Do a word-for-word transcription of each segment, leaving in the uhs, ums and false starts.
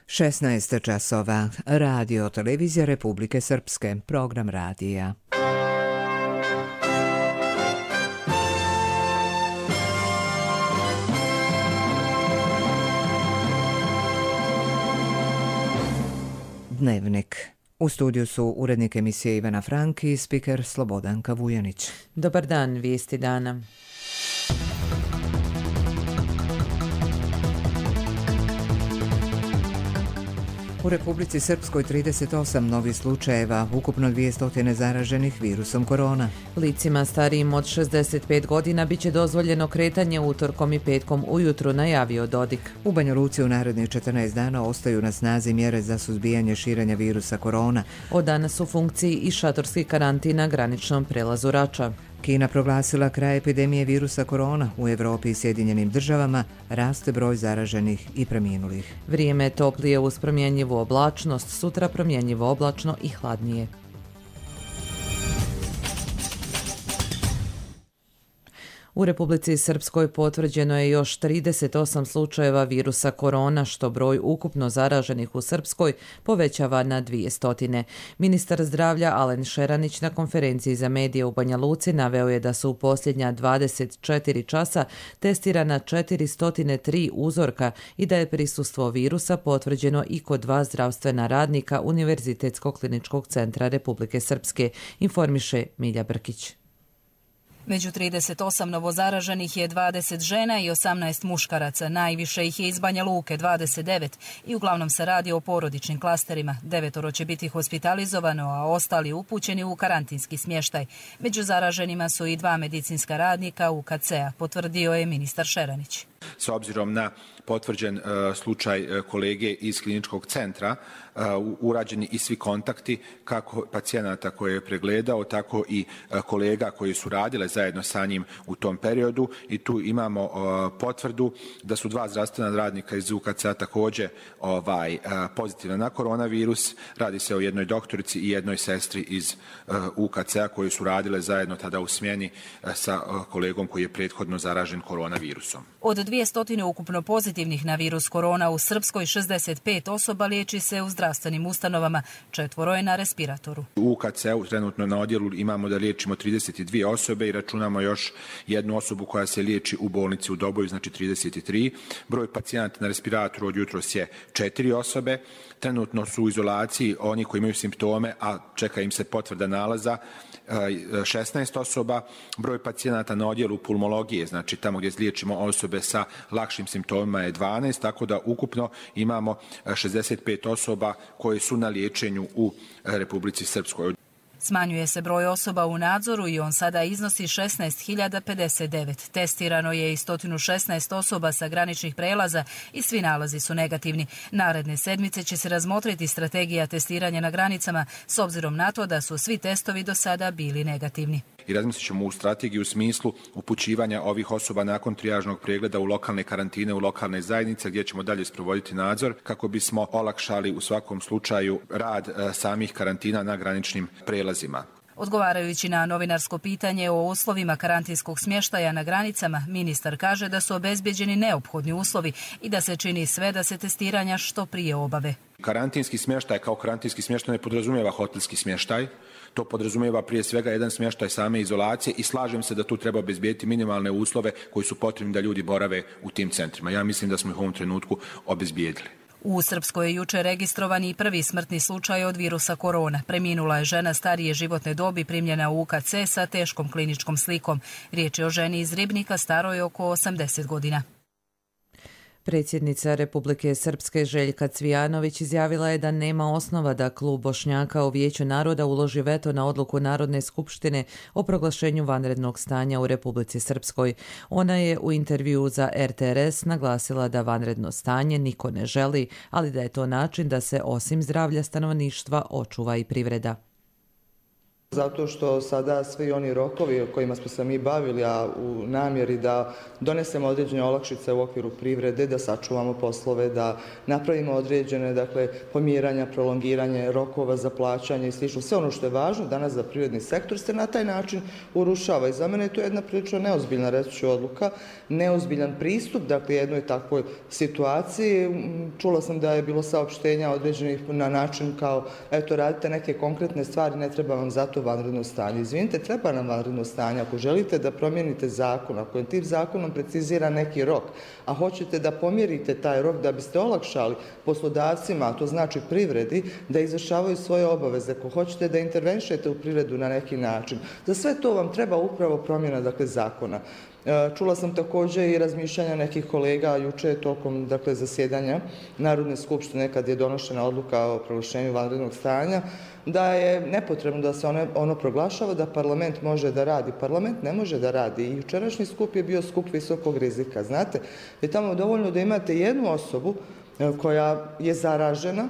šesnaest časova. Radio Televizija Republike Srpske. Program radija. Dnevnik. U studiju su urednik emisije Ivana Franki i spiker Slobodanka Vujanić. Dobar dan, vijesti dana. U Republici Srpskoj trideset osam novih slučajeva, ukupno dvjesto zaraženih virusom korona. Licima starijim od šezdeset pet godina biće dozvoljeno kretanje utorkom i petkom ujutru, najavio Dodik. U Banja Luci u narednih četrnaest dana ostaju na snazi mjere za suzbijanje širenja virusa korona. Od danas u funkciji i šatorski karantin na graničnom prelazu Rača. Kina proglasila kraj epidemije virusa korona. U Evropi i Sjedinjenim državama raste broj zaraženih i preminulih. Vrijeme je toplije uz promjenjivu oblačnost, sutra promjenjivo oblačno i hladnije. U Republici Srpskoj potvrđeno je još trideset osam slučajeva virusa korona, što broj ukupno zaraženih u Srpskoj povećava na dvjesto. Ministar zdravlja Alen Šeranić na konferenciji za medije u Banja Luci naveo je da su u posljednja dvadeset četiri časa testirana četiristo tri uzorka i da je prisustvo virusa potvrđeno i kod dva zdravstvena radnika Univerzitetskog kliničkog centra Republike Srpske, informiše Milja Brkić. Među trideset osam novozaraženih je dvadeset žena i osamnaest muškaraca. Najviše ih je iz Banja Luke, dvadeset devet, i uglavnom se radi o porodičnim klasterima. Devetoro će biti hospitalizovano, a ostali upućeni u karantinski smještaj. Među zaraženima su i dva medicinska radnika U K C-a, potvrdio je ministar Šeranić. S obzirom na potvrđen uh, slučaj uh, kolege iz kliničkog centra, uh, urađeni i svi kontakti kako pacijenata koje je pregledao, tako i uh, kolega koji su radile zajedno sa njim u tom periodu, i tu imamo uh, potvrdu da su dva zdravstvena radnika iz U K C-a također ovaj, uh, pozitivna na koronavirus. Radi se o jednoj doktorici i jednoj sestri iz uh, U K C-a koji su radile zajedno tada u smjeni uh, sa uh, kolegom koji je prethodno zaražen koronavirusom. Od dvjesto ukupno pozitivnih na virus korona u Srpskoj, šezdeset pet osoba liječi se u zdravstvenim ustanovama, četvoro je na respiratoru. U U K C-u trenutno na odjelu imamo da liječimo trideset dvije osobe i računamo još jednu osobu koja se liječi u bolnici u Doboju, znači trideset tri. Broj pacijenata na respiratoru od jutros je četiri osobe. Trenutno su u izolaciji oni koji imaju simptome, a čeka im se potvrda nalaza, šesnaest osoba. Broj pacijenata na odjelu pulmologije, znači tamo gdje liječimo osobe sa lakšim simptomima, je dvanaest, tako da ukupno imamo šezdeset pet osoba koje su na liječenju u Republici Srpskoj. Smanjuje se broj osoba u nadzoru i on sada iznosi šesnaest hiljada pedeset devet. Testirano je i sto šesnaest osoba sa graničnih prelaza i svi nalazi su negativni. Naredne sedmice će se razmotriti strategija testiranja na granicama s obzirom na to da su svi testovi do sada bili negativni. I razmislit ćemo u strategiju u smislu upućivanja ovih osoba nakon trijažnog pregleda u lokalne karantine, u lokalne zajednice gdje ćemo dalje sprovoditi nadzor kako bismo olakšali u svakom slučaju rad samih karantina na graničnim prelazima. Odgovarajući na novinarsko pitanje o uslovima karantinskog smještaja na granicama, ministar kaže da su obezbjeđeni neophodni uslovi i da se čini sve da se testiranja što prije obave. Karantinski smještaj kao karantinski smještaj ne podrazumijeva hotelski smještaj. To podrazumijeva prije svega jedan smještaj same izolacije i slažem se da tu treba obezbijediti minimalne uslove koji su potrebni da ljudi borave u tim centrima. Ja mislim da smo ih u ovom trenutku obezbijedili. U Srpskoj je jučer registrovan i prvi smrtni slučaj od virusa korona. Preminula je žena starije životne dobi primljena u U K C sa teškom kliničkom slikom. Riječ je o ženi iz Ribnika staroj oko osamdeset godina. Predsjednica Republike Srpske Željka Cvijanović izjavila je da nema osnova da klub Bošnjaka u Vijeću naroda uloži veto na odluku Narodne skupštine o proglašenju vanrednog stanja u Republici Srpskoj. Ona je u intervjuu za R T R S naglasila da vanredno stanje niko ne želi, ali da je to način da se osim zdravlja stanovništva očuva i privreda. Zato što sada svi oni rokovi o kojima smo se mi bavili, a u namjeri da donesemo određene olakšice u okviru privrede, da sačuvamo poslove, da napravimo određene dakle, pomjeranja, prolongiranje rokova za plaćanje i slično. Sve ono što je važno danas za privredni sektor se na taj način urušava. I za mene je to jedna prilično neozbiljna, reći ću, odluka, neozbiljan pristup dakle, jednoj takvoj situaciji. Čula sam da je bilo saopštenja određenih na način kao eto radite neke konkretne stvari, ne treba vam zato vanredno stanje. Izvinite, treba nam vanredno stanje. Ako želite da promijenite zakon, ako je tim zakonom precizira neki rok, a hoćete da pomjerite taj rok da biste olakšali poslodavcima, a to znači privredi, da izvršavaju svoje obaveze, ako hoćete da intervenšete u privredu na neki način, za sve to vam treba upravo promjena dakle, zakona. Čula sam također i razmišljanja nekih kolega juče tokom dakle, zasjedanja Narodne skupštine kad je donošena odluka o proglašenju vanrednog stanja, da je nepotrebno da se ono, ono proglašava, da parlament može da radi. Parlament ne može da radi. I jučerašnji skup je bio skup visokog rizika. Znate, je tamo dovoljno da imate jednu osobu koja je zaražena,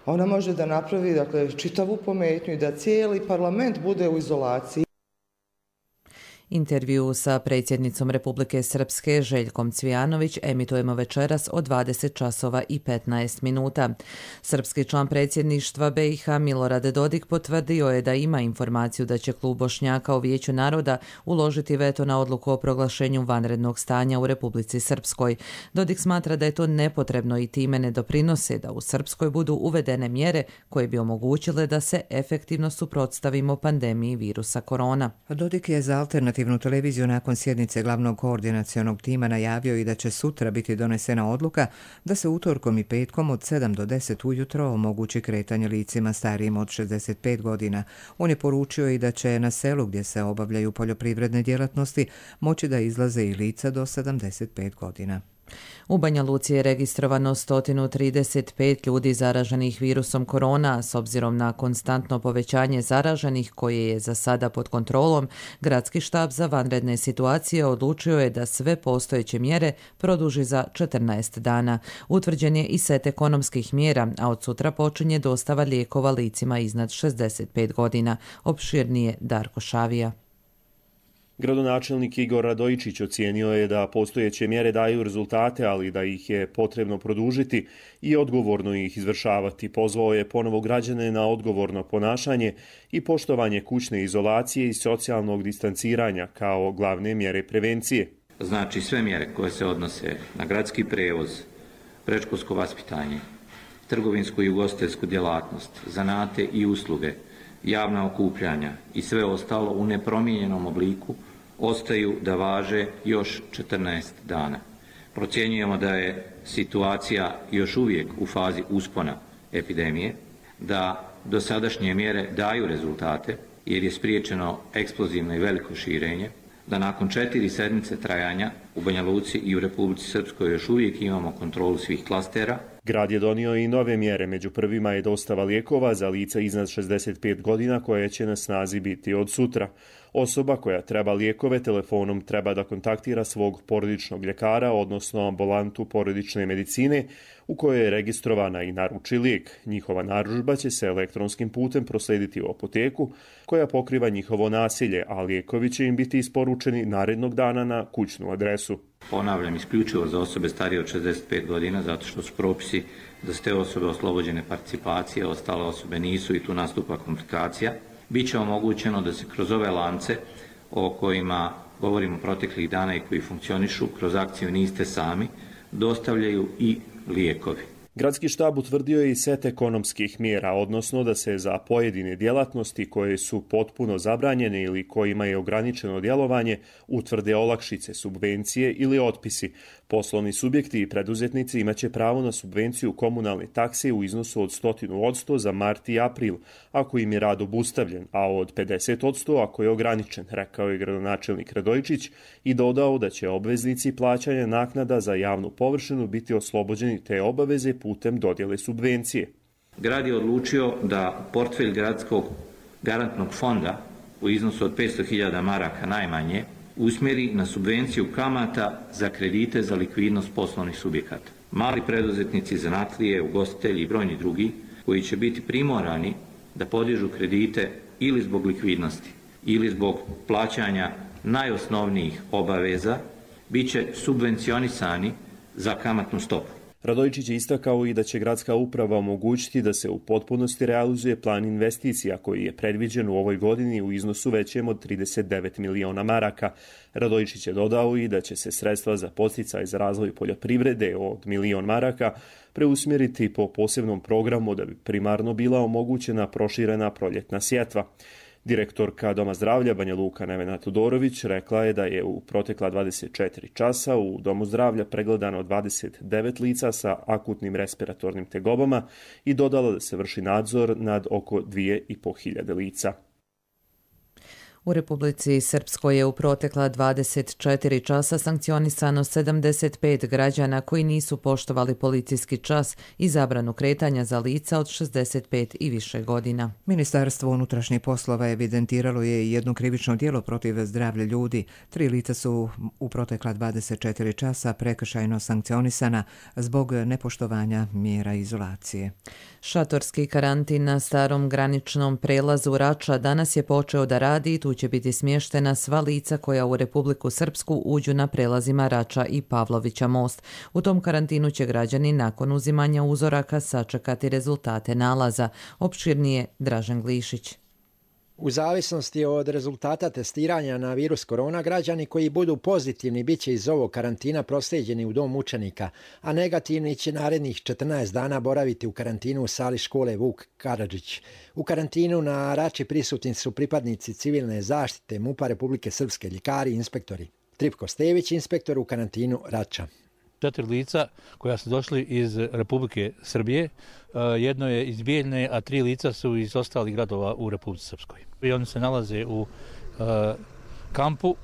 ona može da napravi dakle, čitavu pometnju i da cijeli parlament bude u izolaciji. Intervju sa predsjednicom Republike Srpske Željkom Cvijanović emitujemo večeras od dvadeset časova i petnaest minuta. Srpski član predsjedništva B i H Milorad Dodik potvrdio je da ima informaciju da će klub Bošnjaka u Vijeću naroda uložiti veto na odluku o proglašenju vanrednog stanja u Republici Srpskoj. Dodik smatra da je to nepotrebno i time ne doprinose da u Srpskoj budu uvedene mjere koje bi omogućile da se efektivno suprotstavimo pandemiji virusa korona. Dodik je za alternativnu televiziju nakon sjednice glavnog koordinacionog tima najavio i da će sutra biti donesena odluka da se utorkom i petkom od sedam do deset ujutro omogući kretanje licima starijim od šezdeset pet godina. On je poručio i da će na selu gdje se obavljaju poljoprivredne djelatnosti moći da izlaze i lica do sedamdeset pet godina. U Banja Luci je registrovano sto trideset pet ljudi zaraženih virusom korona. S obzirom na konstantno povećanje zaraženih koje je za sada pod kontrolom, Gradski štab za vanredne situacije odlučio je da sve postojeće mjere produži za četrnaest dana. Utvrđen je i set ekonomskih mjera, a od sutra počinje dostava lijekova licima iznad šezdeset pet godina. Opširnije Darko Šavija. Gradonačelnik Igor Radojičić ocijenio je da postojeće mjere daju rezultate, ali da ih je potrebno produžiti i odgovorno ih izvršavati. Pozvao je ponovo građane na odgovorno ponašanje i poštovanje kućne izolacije i socijalnog distanciranja kao glavne mjere prevencije. Znači sve mjere koje se odnose na gradski prevoz, predškolsko vaspitanje, trgovinsku i ugostiteljsku djelatnost, zanate i usluge, javna okupljanja i sve ostalo u nepromijenjenom obliku ostaju da važe još četrnaest dana. Procjenjujemo da je situacija još uvijek u fazi uspona epidemije, da dosadašnje mjere daju rezultate jer je spriječeno eksplozivno i veliko širenje, da nakon četiri sedmice trajanja u Banja Luci i u Republici Srpskoj još uvijek imamo kontrolu svih klastera. Grad je donio i nove mjere, među prvima je dostava lijekova za lica iznad šezdeset pet godina koje će na snazi biti od sutra. Osoba koja treba lijekove telefonom treba da kontaktira svog porodičnog ljekara, odnosno ambulantu porodične medicine u kojoj je registrovana i naruči lijek. Njihova narudžba će se elektronskim putem proslediti u apoteku koja pokriva njihovo naselje, a lijekovi će im biti isporučeni narednog dana na kućnu adresu. Ponavljam, isključivo za osobe starije od šezdeset pet godina, zato što su propisi da su te osobe oslobođene participacije, ostale osobe nisu i tu nastupa komplikacija. Biće omogućeno da se kroz ove lance o kojima govorimo proteklih dana i koji funkcionišu kroz akciju Niste sami, dostavljaju i lijekovi. Gradski štab utvrdio je i set ekonomskih mjera, odnosno da se za pojedine djelatnosti koje su potpuno zabranjene ili kojima je ograničeno djelovanje utvrde olakšice, subvencije ili otpisi. Poslovni subjekti i preduzetnici imaće pravo na subvenciju komunalne takse u iznosu od sto posto za mart i april, ako im je rad obustavljen, a od pedeset posto ako je ograničen, rekao je gradonačelnik Radojičić i dodao da će obveznici plaćanja naknada za javnu površinu biti oslobođeni te obaveze putem dodjele subvencije. Grad je odlučio da portfelj gradskog garantnog fonda u iznosu od petsto hiljada maraka najmanje usmjeri na subvenciju kamata za kredite za likvidnost poslovnih subjekata. Mali preduzetnici, zanatlije, ugostitelji i brojni drugi koji će biti primorani da podižu kredite ili zbog likvidnosti ili zbog plaćanja najosnovnijih obaveza bit će subvencionisani za kamatnu stopu. Radojičić je istakao i da će gradska uprava omogućiti da se u potpunosti realizuje plan investicija koji je predviđen u ovoj godini u iznosu većem od trideset devet miliona maraka. Radojičić je dodao i da će se sredstva za podsticaj za razvoj poljoprivrede od milion maraka preusmjeriti po posebnom programu da bi primarno bila omogućena proširena proljetna sjetva. Direktorka Doma zdravlja Banja Luka Nevena Todorović rekla je da je u protekla dvadeset četiri časa u Domu zdravlja pregledano dvadeset devet lica sa akutnim respiratornim tegobama i dodala da se vrši nadzor nad oko dvije i po hiljade lica. U Republici Srpskoj je u protekla dvadeset četiri časa sankcionisano sedamdeset pet građana koji nisu poštovali policijski čas i zabranu kretanja za lica od šezdeset pet i više godina. Ministarstvo unutrašnjih poslova evidentiralo je jedno krivično djelo protiv zdravlja ljudi. Tri lica su u protekla dvadeset četiri časa prekršajno sankcionisana zbog nepoštovanja mjera izolacije. Šatorski karantin na starom graničnom prelazu Rača danas je počeo da radi i tu će biti smještena sva lica koja u Republiku Srpsku uđu na prelazima Rača i Pavlovića most. U tom karantinu će građani nakon uzimanja uzoraka sačekati rezultate nalaza. Opširnije Dražen Glišić. U zavisnosti od rezultata testiranja na virus korona, građani koji budu pozitivni bit će iz ovog karantina proslijeđeni u dom učenika, a negativni će narednih četrnaest dana boraviti u karantinu u sali škole Vuk Karadžić. U karantinu na Rači prisutni su pripadnici civilne zaštite M U P-a Republike Srpske, ljekari i inspektori. Tripko Stević, inspektor u karantinu Rača. Četiri lica koja su došli iz Republike Srbije, jedno je iz Bijeljne, a tri lica su iz ostalih gradova u Republici Srpskoj. I oni se nalaze u kampu,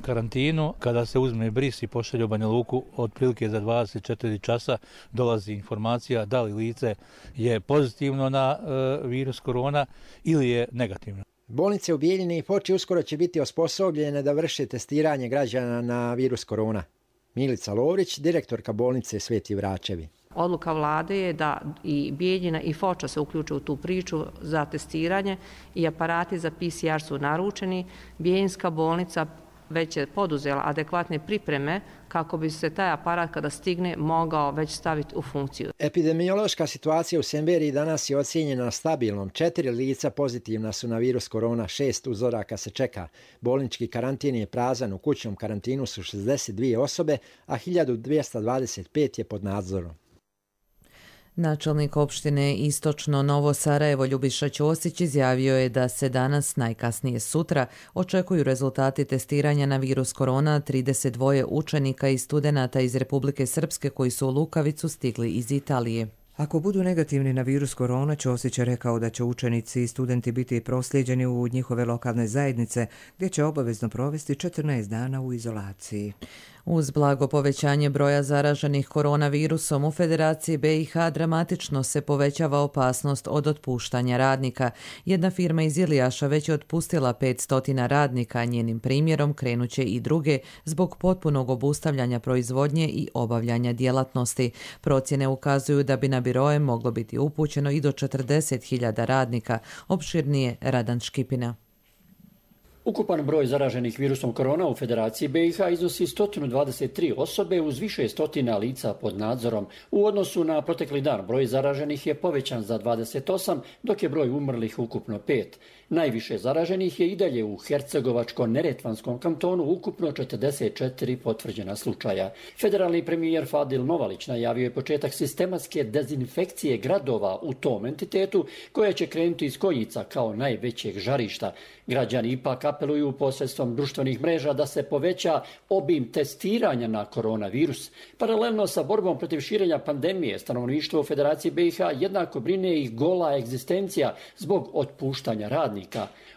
karantinu. Kada se uzme bris i pošalje u Banja Luku, otprilike za dvadeset četiri časa dolazi informacija da li lice je pozitivno na virus korona ili je negativno. Bolnice u Bijeljini i Foči uskoro će biti osposobljene da vrše testiranje građana na virus korona. Milica Lovrić, direktorka bolnice Sveti Vračevi. Odluka vlade je da i Bijeljina i Foča se uključe u tu priču za testiranje i aparati za P C R su naručeni. Bijeljinska bolnica već je poduzela adekvatne pripreme kako bi se taj aparat kada stigne mogao već staviti u funkciju. Epidemiološka situacija u Semberiji danas je ocijenjena stabilnom. Četiri lica pozitivna su na virus korona, šest uzoraka se čeka. Bolnički karantin je prazan, u kućnom karantinu su šezdeset dvije osobe, a hiljadu dvjesto dvadeset pet je pod nadzorom. Načelnik opštine Istočno Novo Sarajevo Ljubiša Ćosić izjavio je da se danas, najkasnije sutra, očekuju rezultati testiranja na virus korona trideset dva učenika i studenata iz Republike Srpske koji su u Lukavicu stigli iz Italije. Ako budu negativni na virus korona, Ćosić je rekao da će učenici i studenti biti proslijeđeni u njihove lokalne zajednice, gdje će obavezno provesti četrnaest dana u izolaciji. Uz blago povećanje broja zaraženih koronavirusom u Federaciji B i H dramatično se povećava opasnost od otpuštanja radnika. Jedna firma iz Ilijaša već je otpustila petsto radnika, a njenim primjerom krenuće i druge zbog potpunog obustavljanja proizvodnje i obavljanja djelatnosti. Procjene ukazuju da bi na biroje moglo biti upućeno i do četrdeset hiljada radnika. Opširnije Radan Škipina. Ukupan broj zaraženih virusom korona u Federaciji B i H iznosi sto dvadeset tri osobe uz više stotina lica pod nadzorom. U odnosu na protekli dan broj zaraženih je povećan za dvadeset osam, dok je broj umrlih ukupno pet. Najviše zaraženih je i dalje u Hercegovačko-Neretvanskom kantonu, ukupno četrdeset četiri potvrđena slučaja. Federalni premijer Fadil Novalić najavio je početak sistematske dezinfekcije gradova u tom entitetu, koja će krenuti iz Konjica kao najvećeg žarišta. Građani ipak apeluju posredstvom društvenih mreža da se poveća obim testiranja na koronavirus. Paralelno sa borbom protiv širenja pandemije, stanovništvo u Federaciji B i H jednako brine i gola egzistencija zbog otpuštanja radnika.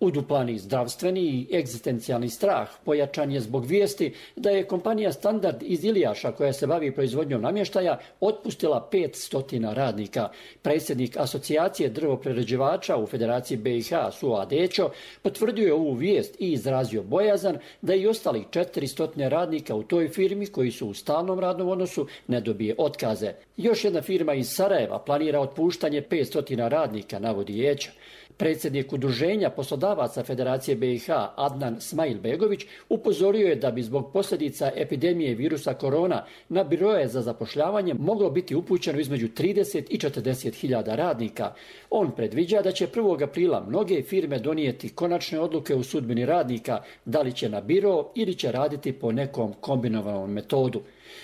Uduplani zdravstveni i egzistencijalni strah pojačan je zbog vijesti da je kompanija Standard iz Ilijaša, koja se bavi proizvodnjom namještaja, otpustila petsto radnika. Predsjednik asocijacije drvoprerađivača u Federaciji B i H, Suo Adećo, potvrdio je ovu vijest i izrazio bojazan da i ostalih četiristo radnika u toj firmi koji su u stalnom radnom odnosu ne dobije otkaze. Još jedna firma iz Sarajeva planira otpuštanje petsto radnika, navodi Jeća. Predsjednik Udruženja poslodavaca Federacije B i H Adnan Smailbegović upozorio je da bi zbog posljedica epidemije virusa korona na biroje za zapošljavanje moglo biti upućeno između trideset i četrdeset hiljada radnika. On predviđa da će prvog aprila mnoge firme donijeti konačne odluke u sudbini radnika, da li će na biro ili će raditi po nekom kombinovanom metodu.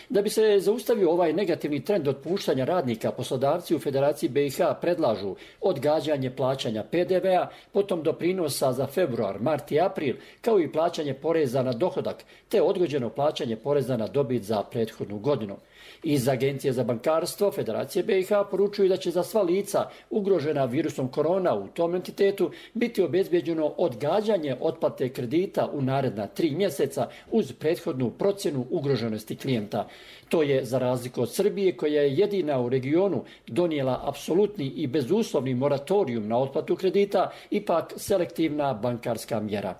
Da bi se zaustavio ovaj negativni trend otpuštanja radnika, poslodavci u Federaciji B i H predlažu odgađanje plaćanja P D V-a, potom doprinosa za februar, mart i april, kao i plaćanje poreza na dohodak, te odgođeno plaćanje poreza na dobit za prethodnu godinu. Iz Agencije za bankarstvo Federacije B i H poručuju da će za sva lica ugrožena virusom korona u tom entitetu biti obezbeđeno odgađanje otplate kredita u naredna tri mjeseca uz prethodnu procjenu ugroženosti klijenta. To je za razliku od Srbije, koja je jedina u regionu donijela apsolutni i bezuslovni moratorijum na otplatu kredita, ipak selektivna bankarska mjera.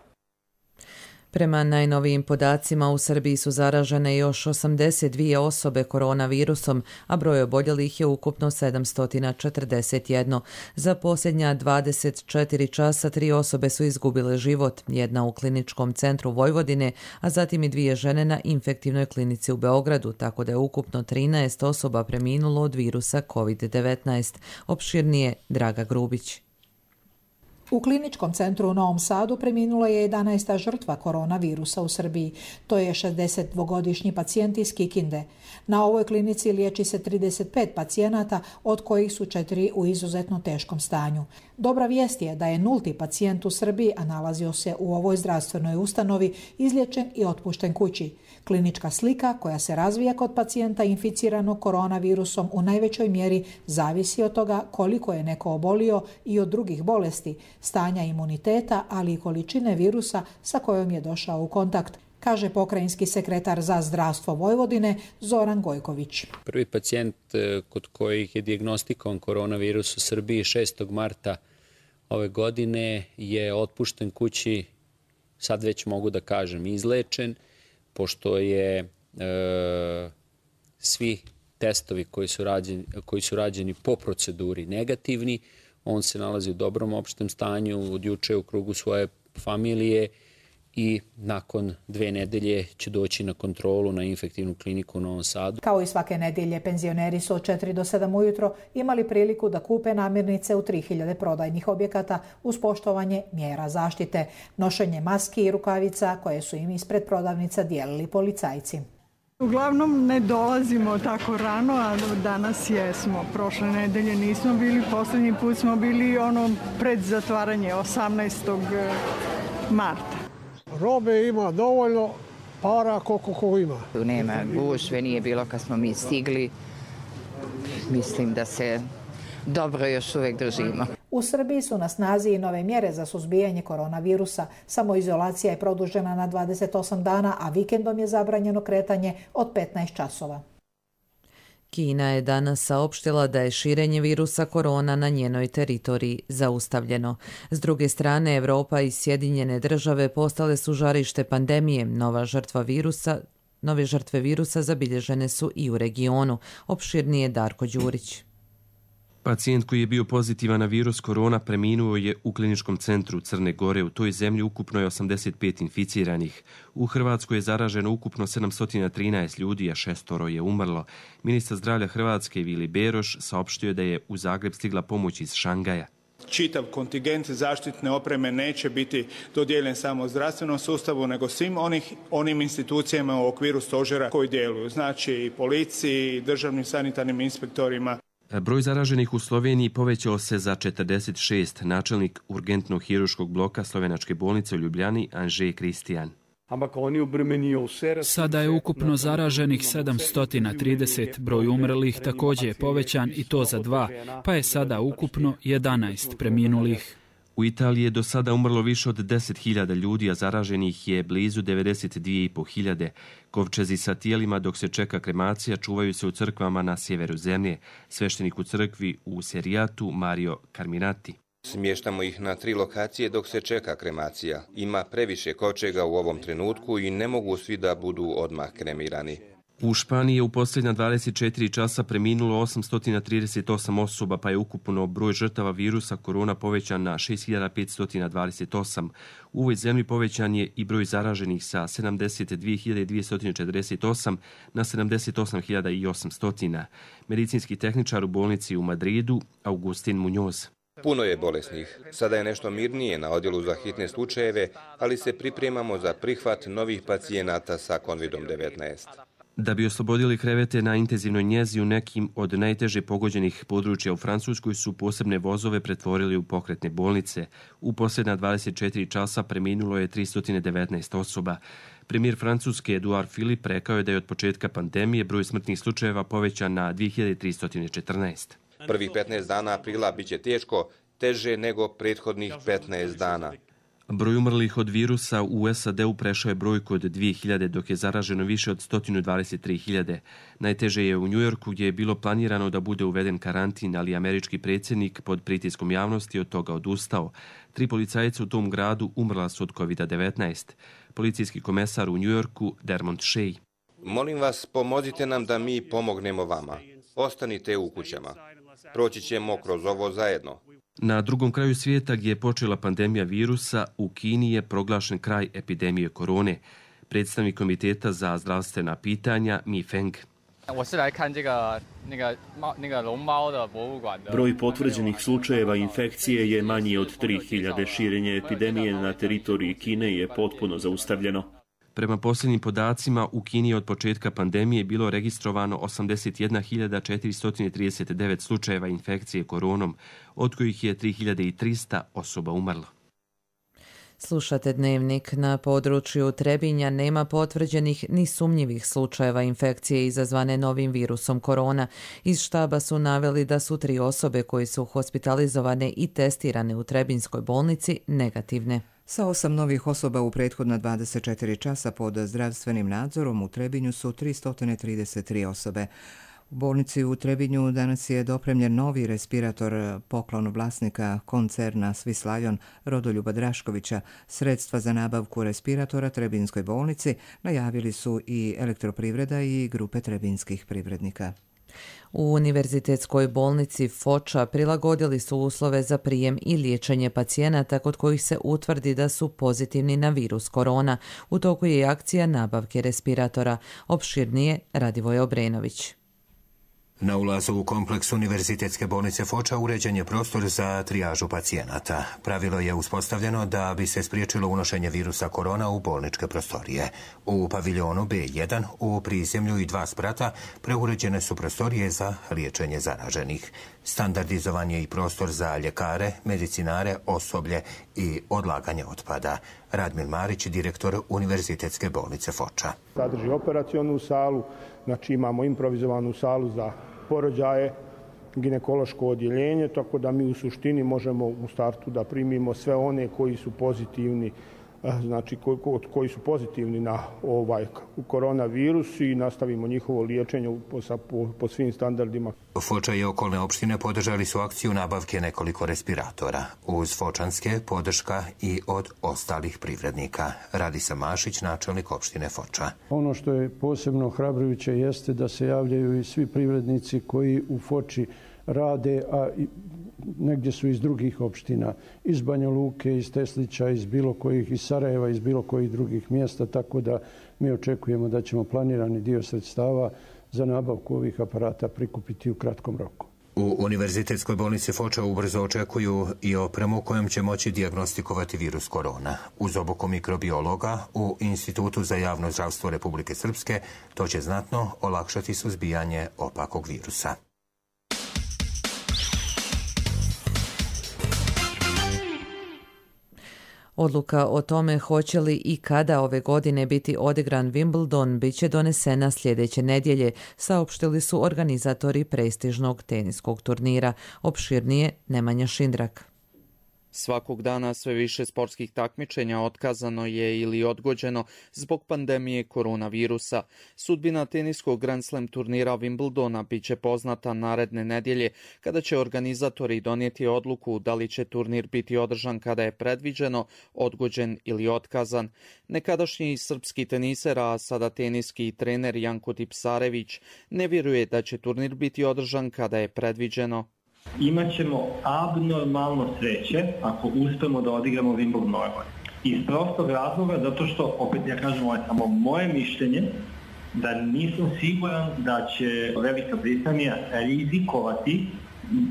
Prema najnovijim podacima u Srbiji su zaražene još osamdeset dvije osobe koronavirusom, a broj oboljelih je ukupno sedamsto četrdeset jedan. Za posljednja dvadeset četiri časa tri osobe su izgubile život, jedna u kliničkom centru Vojvodine, a zatim i dvije žene na infektivnoj klinici u Beogradu, tako da je ukupno trinaest osoba preminulo od virusa kovid devetnaest. Opširnije Draga Grubić. U kliničkom centru u Novom Sadu preminula je jedanaesta žrtva koronavirusa u Srbiji. To je šezdesetdvogodišnji pacijent iz Kikinde. Na ovoj klinici liječi se trideset pet pacijenata, od kojih su četiri u izuzetno teškom stanju. Dobra vijest je da je nulti pacijent u Srbiji, a nalazio se u ovoj zdravstvenoj ustanovi, izliječen i otpušten kući. Klinička slika koja se razvija kod pacijenta inficiranog koronavirusom u najvećoj mjeri zavisi od toga koliko je neko obolio i od drugih bolesti, stanja imuniteta, ali i količine virusa sa kojom je došao u kontakt, kaže pokrajinski sekretar za zdravstvo Vojvodine Zoran Gojković. Prvi pacijent kod kojih je dijagnostikovan koronavirus u Srbiji šestog marta ove godine je otpušten kući, sad već mogu da kažem izlečen, pošto je e, svi testovi koji su, rađeni, koji su rađeni po proceduri negativni. On se nalazi u dobrom opštem stanju, od juče u krugu svoje familije i nakon dve nedelje će doći na kontrolu na infektivnu kliniku u Novom Sadu. Kao i svake nedelje, penzioneri su od četiri do sedam ujutro imali priliku da kupe namirnice u tri hiljade prodajnih objekata uz poštovanje mjera zaštite, nošenje maski i rukavica koje su im ispred prodavnica dijelili policajci. Uglavnom ne dolazimo tako rano, a danas jesmo. Prošle nedelje nismo bili, posljednji put smo bili ono pred zatvaranje osamnaestog marta. Robe ima dovoljno, para koliko ko ima. Nema gužve, nije bilo kad smo mi stigli. Mislim da se dobro još uvijek držimo. U Srbiji su na snazi i nove mjere za suzbijanje koronavirusa. Samoizolacija je produžena na dvadeset osam dana, a vikendom je zabranjeno kretanje od petnaest časova. Kina je danas saopštila da je širenje virusa korona na njenoj teritoriji zaustavljeno. S druge strane, Evropa i Sjedinjene države postale su žarište pandemije. Nova žrtva virusa, nove žrtve virusa zabilježene su i u regionu. Opširnije Darko Đurić. Pacijent koji je bio pozitivan na virus korona preminuo je u kliničkom centru Crne Gore. U toj zemlji ukupno je osamdeset pet inficiranih. U Hrvatskoj je zaraženo ukupno sedamsto trinaest ljudi, a šestoro je umrlo. Ministar zdravlja Hrvatske Vili Beroš saopštio je da je u Zagreb stigla pomoć iz Šangaja. Čitav kontingent zaštitne opreme neće biti dodijeljen samo zdravstvenom sustavu, nego svim onih, onim institucijama u okviru stožera koji djeluju. Znači i policiji, i državnim sanitarnim inspektorima. Broj zaraženih u Sloveniji povećao se za četrdeset šest. Načelnik urgentnog hiruškog bloka Slovenačke bolnice u Ljubljani Anže Kristijan. Sada je ukupno zaraženih sedamsto trideset, broj umrlih također je povećan i to za dva, pa je sada ukupno jedanaest preminulih. U Italiji je do sada umrlo više od deset hiljada ljudi, a zaraženih je blizu devedeset dvije i po hiljade. Kovčezi sa tijelima dok se čeka kremacija čuvaju se u crkvama na sjeveru zemlje. Sveštenik u crkvi u Serijatu Mario Carminati. Smještamo ih na tri lokacije dok se čeka kremacija. Ima previše kovčega u ovom trenutku i ne mogu svi da budu odmah kremirani. U Španiji je u posljednja dvadeset četiri časa preminulo osamsto trideset osam osoba, pa je ukupno broj žrtava virusa korona povećan na šest hiljada petsto dvadeset osam. U ovoj zemlji povećan je i broj zaraženih sa sedamdeset dvije hiljade dvjesto četrdeset osam na sedamdeset osam hiljada osamsto. Medicinski tehničar u bolnici u Madridu, Agustin Muñoz. Puno je bolesnih. Sada je nešto mirnije na odjelu za hitne slučajeve, ali se pripremamo za prihvat novih pacijenata sa kovid devetnaest. Da bi oslobodili krevete na intenzivnoj njezi u nekim od najteže pogođenih područja u Francuskoj su posebne vozove pretvorili u pokretne bolnice. U posljednja dvadeset četiri časa preminulo je tristo devetnaest osoba. Premijer Francuske Edouard Philippe rekao je da je od početka pandemije broj smrtnih slučajeva povećan na dvije hiljade tristo četrnaest. Prvih petnaest dana aprila biće teško, teže nego prethodnih petnaest dana. Broj umrlih od virusa u S A D-u prešao je brojku od dvije hiljade, dok je zaraženo više od sto dvadeset tri hiljade. Najteže je u Njujorku, gdje je bilo planirano da bude uveden karantin, ali američki predsjednik pod pritiskom javnosti od toga odustao. Tri policajca u tom gradu umrla su od kovid devetnaest. Policijski komesar u Njujorku, Dermont Shea. Molim vas, pomozite nam da mi pomognemo vama. Ostanite u kućama. Proći ćemo kroz ovo zajedno. Na drugom kraju svijeta, gdje je počela pandemija virusa, u Kini je proglašen kraj epidemije korone. Predstavnik Komiteta za zdravstvena pitanja Mi Feng. Broj potvrđenih slučajeva infekcije je manji od tri hiljade. Širenje epidemije na teritoriji Kine je potpuno zaustavljeno. Prema posljednjim podacima, u Kini je od početka pandemije bilo registrovano osamdeset jedna hiljada četiristo trideset devet slučajeva infekcije koronom, od kojih je tri hiljade trista osoba umrlo. Slušate Dnevnik. Na području Trebinja nema potvrđenih ni sumnjivih slučajeva infekcije izazvane novim virusom korona. Iz štaba su naveli da su tri osobe koje su hospitalizovane i testirane u Trebinjskoj bolnici negativne. Sa osam novih osoba u prethodna dvadeset četiri časa pod zdravstvenim nadzorom u Trebinju su tristo trideset tri osobe. U bolnici u Trebinju danas je dopremljen novi respirator, poklon vlasnika koncerna Swiss Lion Rodoljuba Draškovića. Sredstva za nabavku respiratora Trebinjskoj bolnici najavili su i Elektroprivreda i grupe trebinskih privrednika. U Univerzitetskoj bolnici Foča prilagodili su uslove za prijem i liječenje pacijenata kod kojih se utvrdi da su pozitivni na virus korona. U toku je i akcija nabavke respiratora. Opširnije Radivoje Obrenović. Na ulazu u kompleks Univerzitetske bolnice Foča uređen je prostor za trijažu pacijenata. Pravilo je uspostavljeno da bi se spriječilo unošenje virusa korona u bolničke prostorije. U paviljonu B jedan u prizemlju i dva sprata preuređene su prostorije za liječenje zaraženih. Standardizovan je i prostor za ljekare, medicinare, osoblje i odlaganje otpada. Radmil Marić, direktor Univerzitetske bolnice Foča. Sadrži operacionu salu, znači imamo improvizovanu salu za porođaje, ginekološko odjeljenje, tako da mi u suštini možemo u startu da primimo sve one koji su pozitivni, znači koji, koji su pozitivni na ovaj koronavirus i nastavimo njihovo liječenje po, po, po svim standardima. Foča i okolne opštine podržali su akciju nabavke nekoliko respiratora. Uz fočanske podrška i od ostalih privrednika. Radisa Mašić, načelnik opštine Foča. Ono što je posebno ohrabrujuće jeste da se javljaju i svi privrednici koji u Foči rade, a negdje su iz drugih opština, iz Banja Luke, iz Teslića, iz bilo kojih, iz Sarajeva, iz bilo kojih drugih mjesta, tako da mi očekujemo da ćemo planirani dio sredstava za nabavku ovih aparata prikupiti u kratkom roku. U Univerzitetskoj bolnici Foča ubrzo očekuju i opremu kojom će moći dijagnostikovati virus korona. Uz obuku mikrobiologa u Institutu za javno zdravstvo Republike Srpske to će znatno olakšati suzbijanje opakog virusa. Odluka o tome hoće li i kada ove godine biti odigran Wimbledon bit će donesena sljedeće nedjelje, saopštili su organizatori prestižnog teniskog turnira. Opširnije Nemanja Šindrak. Svakog dana sve više sportskih takmičenja otkazano je ili odgođeno zbog pandemije koronavirusa. Sudbina teniskog Grand Slam turnira Wimbledona bit će poznata naredne nedjelje, kada će organizatori donijeti odluku da li će turnir biti održan kada je predviđeno, odgođen ili otkazan. Nekadašnji srpski teniser, a sada teniski trener Janko Tipsarević, ne vjeruje da će turnir biti održan kada je predviđeno. Imaćemo abnormalno sreće ako uspemo da odigramo Wimbledon ove godine. Iz prostog razloga, zato što, opet ja kažem, ovo je samo moje mišljenje, da nisam siguran da će Velika Britanija rizikovati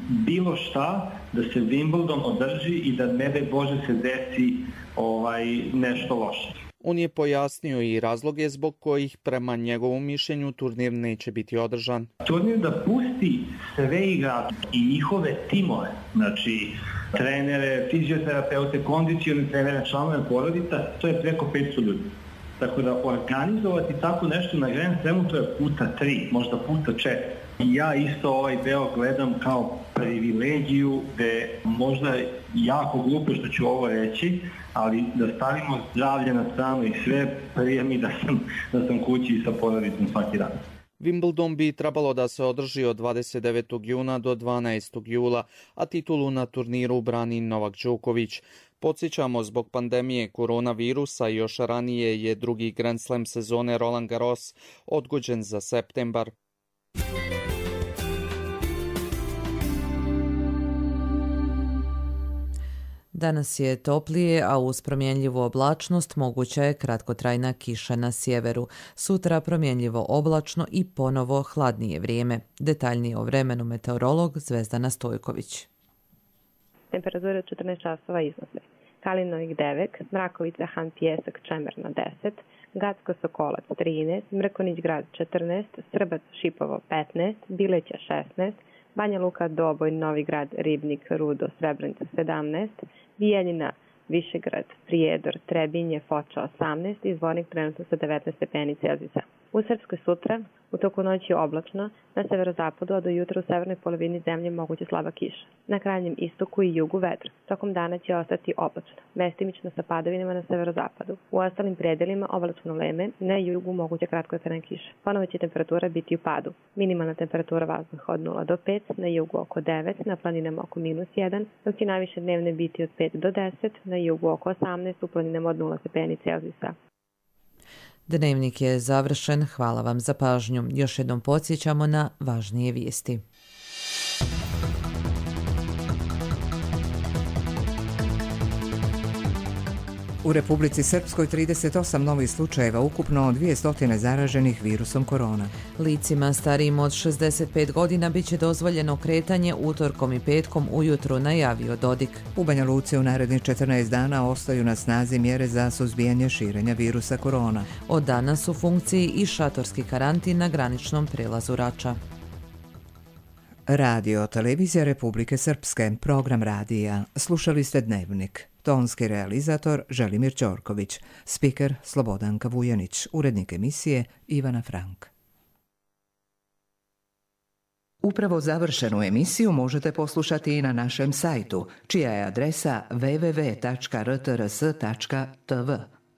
bilo šta da se Wimbledon održi i da ne daj Bože se desi ovaj, nešto loše. On je pojasnio i razloge zbog kojih prema njegovom mišljenju turnir neće biti održan. Turnir da pusti sve igrače i njihove timove, znači trenere, fizioterapeute, kondicione trenere, članove porodica, to je preko petsto ljudi. Tako da organizovati tako nešto na Grand Slamu, to je puta tri, možda puta četiri. I ja isto ovaj deo gledam kao privilegiju, gde možda jako glupo što ću ovo reći, ali da stavimo zdravlje na stranu i sve, prije mi da sam, da sam kući sa porodicom svaki dan. Wimbledon bi trebalo da se održi od dvadeset devetog juna do dvanaestog jula, a titulu na turniru brani Novak Đoković. Podsjećamo, zbog pandemije koronavirusa još ranije je drugi Grand Slam sezone Roland Garros odgođen za septembar. Danas je toplije, a uz promjenljivu oblačnost moguća je kratkotrajna kiša na sjeveru. Sutra promjenljivo oblačno i ponovo hladnije vrijeme. Detaljnije o vremenu meteorolog Zvezdana Stojković. Temperatura četrnaest časova iznose. Kalinovik devet, Mrakovica, Han Pijesak, Čemerna deset, Gacko Sokolac trinaest, Mrkonić Grad četrnaest, Srbac Šipovo petnaest, Bileća šesnaest, Banja Luka, Doboj, Novi Grad, Ribnik, Rudo, Srebrenica sedamnaest, Bijeljina, Višegrad, Prijedor, Trebinje, Foča osamnaest i Zvornik trenutno sa devetnaest stepeni Celzijusa. U Srpskoj sutra, u toku noći je oblačno, na severozapadu, a do jutra u severnoj polovini zemlje moguće slaba kiša. Na krajnjem istoku i jugu vedro. Tokom dana će ostati oblačno, mestimično sa padavinama na severozapadu. U ostalim predelima oblačno vreme, na jugu moguće kratkotrajna kiša. Ponovo će temperatura biti u padu. Minimalna temperatura vazduha od nula do pet, na jugu oko devet, na planinama oko minus jedan, dok će najviše dnevne biti od pet do deset, na jugu oko osamnaest, u planinama od nula stepeni Celzijusa. Dnevnik je završen, hvala vam za pažnju. Još jednom podsjećamo na važnije vijesti. U Republici Srpskoj trideset osam novih slučajeva, ukupno dvjesto zaraženih virusom korona. Licima starijim od šezdeset pet godina bit će dozvoljeno kretanje utorkom i petkom ujutru, najavio Dodik. U Banja Luci u narednih četrnaest dana ostaju na snazi mjere za suzbijanje širenja virusa korona. Od danas u funkciji i šatorski karantin na graničnom prelazu Rača. Radio Televizija Republike Srpske, program radija. Slušali ste Dnevnik. Tonski realizator Želimir Ćorković, spiker Slobodanka Vujanić, urednik emisije Ivana Frank. Upravo završenu emisiju možete poslušati i na našem sajtu, čija je adresa w w w tačka r t r s tačka t v.